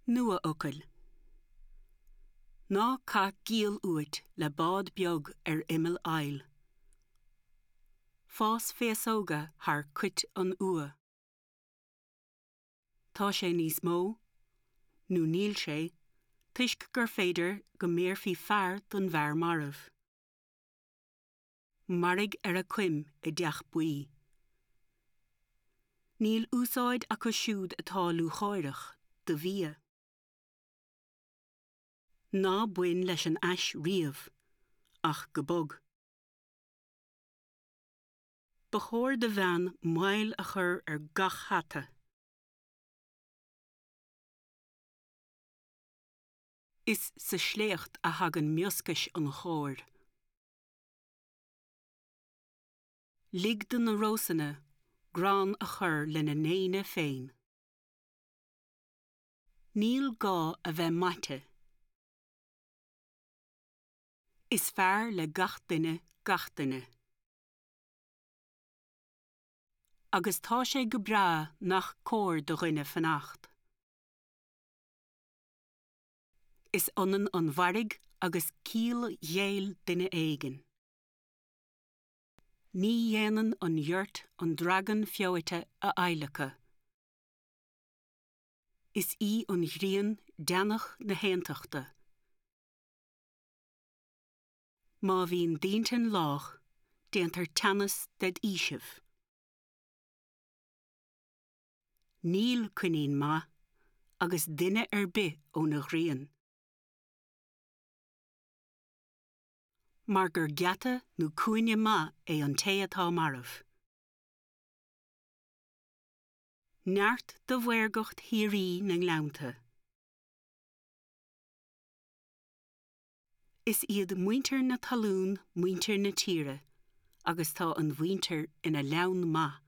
Nuafhocail. Ná caith giall uait le bád beag ar imeall aill. Fás féasóga thar coit an fhuath. Tá sé níos mó, nó níl sé, toisc gur féidir go mbéarfaí fear don bhfear marbh. Mairg ar a coim i dteach buí. Níl úsáid acu siúd atá lúcháireach do bhia. Ná bain leis an ais riamh ach go bog. Ba chóir do bhean moill a chur ar gach hata. Is sa sléacht a thagann mioscais an chóir. Lig do na rósanna grán a chur lena ndéine féin. Níl gá a bheith maite. Is fearr le gach duine gach duine. Agus tá sé go breá nach cóir do dhuine fanacht. Is ionann an mhairg agus ciall ghéill duine éigin. Ní dhéanann an ghiort an dragan feoite a adhlacadh. Is í an ghrian deannach na haontachta. Má bhíonn d'intinn lách, déantar teannas ded fhaoiseamh. Níl coinín maith agus duine ar bith óna ghrian. Mar gur geata nó cúinne maith é an té atá marbh. Neart do mhaorgacht shíoraí na ngleannta. Is iad muintir na talún muintir na tíre agus tá an mhuintir ina leann maith.